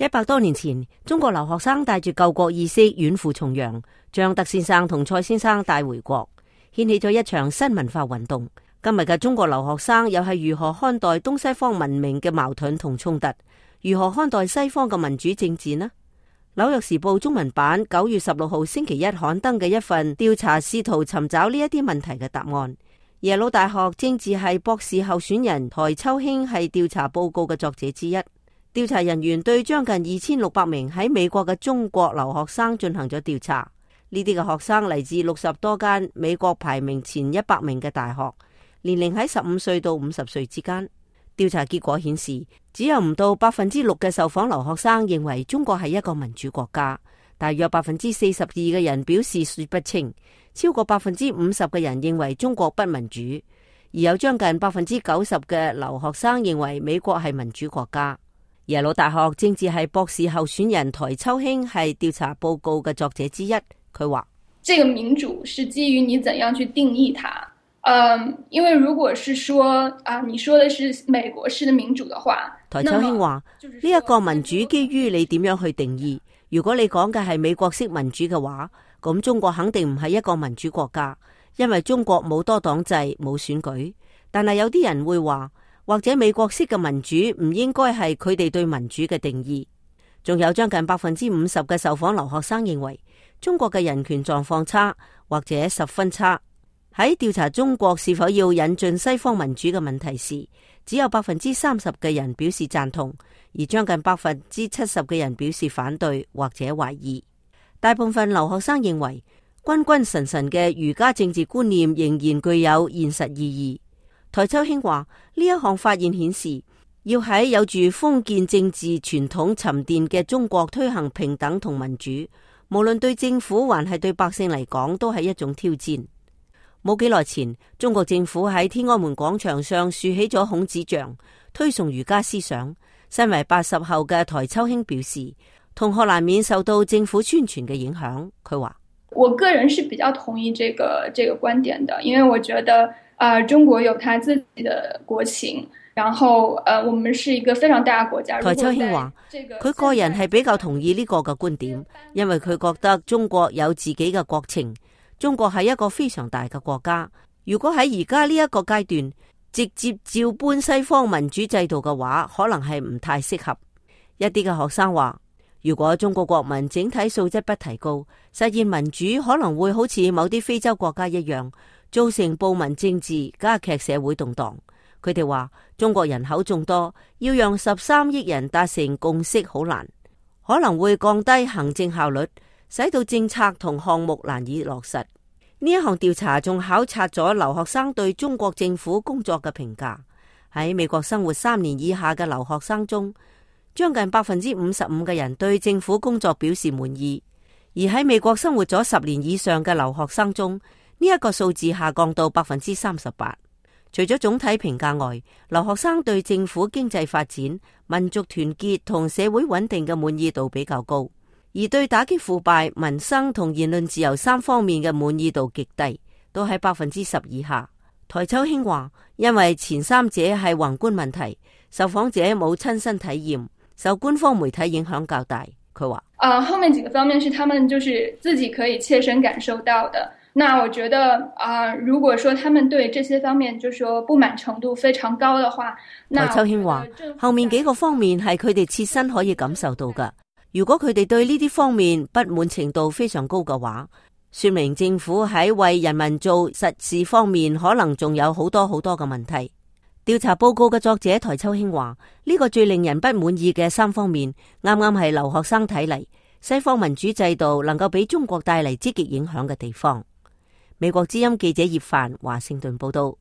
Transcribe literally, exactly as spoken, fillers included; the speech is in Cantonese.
一百多年前，中國留學生帶住救國意識遠赴重洋，將德先生同蔡先生帶回國，掀起咗一場新文化運動。今日嘅中國留學生又係如何看待東西方文明嘅矛盾同衝突？如何看待西方嘅民主政治呢？紐約時報中文版九月十六號星期一刊登嘅一份調查，試圖尋找呢一啲問題嘅答案。耶魯大學政治系博士候選人台秋興係調查報告嘅作者之一。調查人員對將近二千六百名喺美國嘅中國留學生進行咗調查，呢啲嘅學生嚟自六十多間美國排名前一百名嘅大學，年齡喺十五歲到五十歲之間。調查結果顯示，只有唔到百分之六嘅受訪留學生認為中國係一個民主國家，大約百分之四十二嘅人表示說不清，超過百分之五十嘅人認為中國不民主，而有將近百分之九十嘅留學生認為美國係民主國家。耶魯大學政治系博士候選人台秋興係調查報告嘅作者之一，佢話：這個民主是基於你怎樣去定義它。嗯，因為如果是說啊，你說的是美國式的民主的話，台秋興話呢一個民主基於你點樣去定義。如果你講嘅係美國式民主嘅話，咁中國肯定唔係一個民主國家，因為中國冇多黨制，冇選舉。但係有啲人會話，或者美國式嘅民主唔應該係佢哋對民主嘅定義。仲有將近百分之五十嘅受訪留學生認為中國嘅人權狀況差，或者十分差。喺調查中國是否要引進西方民主嘅問題時，只有百分之三十嘅人表示贊同，而將近百分之七十嘅人表示反對或者懷疑。大部分留學生認為君君臣臣嘅儒家政治觀念仍然具有現實意義。台秋興話呢一項發現顯示，要喺有住封建政治傳統沉澱嘅中國推行平等同民主，無論對政府還係對百姓嚟講，都係一種挑戰。冇幾耐前，中國政府喺天安門廣場上豎起咗孔子像，推崇儒家思想。身為八十後嘅台秋興表示，同學難免受到政府宣傳嘅影響。佢話：我個人是比較同意這個這個觀點的，因為我覺得啊、呃，中國有他自己的國情，然後呃，我們是一個非常大嘅國家。台秋興話：佢個人係比較同意呢個嘅觀點，因為佢覺得中國有自己嘅國情。中國係一個非常大嘅國家，如果喺而家呢一個階段直接照搬西方民主制度嘅話，可能係唔太適合。一啲嘅學生話，如果中國國民整體素質不提高，實現民主可能會好似某啲非洲國家一樣，造成暴民政治，加劇社會動盪。佢哋話中國人口眾多，要讓十三億人達成共識好難，可能會降低行政效率，使到政策同項目難以落實。呢一項調查仲考察咗留學生對中國政府工作嘅評價。喺美國生活三年以下嘅留學生中，將近百分之五十五嘅人對政府工作表示滿意，而喺美國生活咗十年以上嘅留學生中，呢一個數字下降到百分之三十八。除咗總體評價外，留學生對政府經濟發展、民族團結同社會穩定嘅滿意度比較高。而對打擊腐敗、民生同言論自由三方面嘅滿意度極低，都喺百分之十以下。台秋興話，因為前三者係宏觀問題，受訪者冇親身體驗，受官方媒體影響較大。佢話：啊、呃，後面幾個方面是他們就是自己可以切身感受到的。那我覺得啊、呃，如果說他們對這些方面就說不滿程度非常高的話，台秋興話，後面幾個方面係佢哋切身可以感受到㗎。如果佢哋對呢啲方面不滿程度非常高嘅話，說明政府喺為人民做實事方面可能仲有好多好多嘅問題。調查報告嘅作者台秋興話，呢個最令人不滿意嘅三方面，啱啱係留學生睇嚟西方民主制度能夠俾中國帶嚟積極影響嘅地方。美國之音記者葉凡華盛頓報道。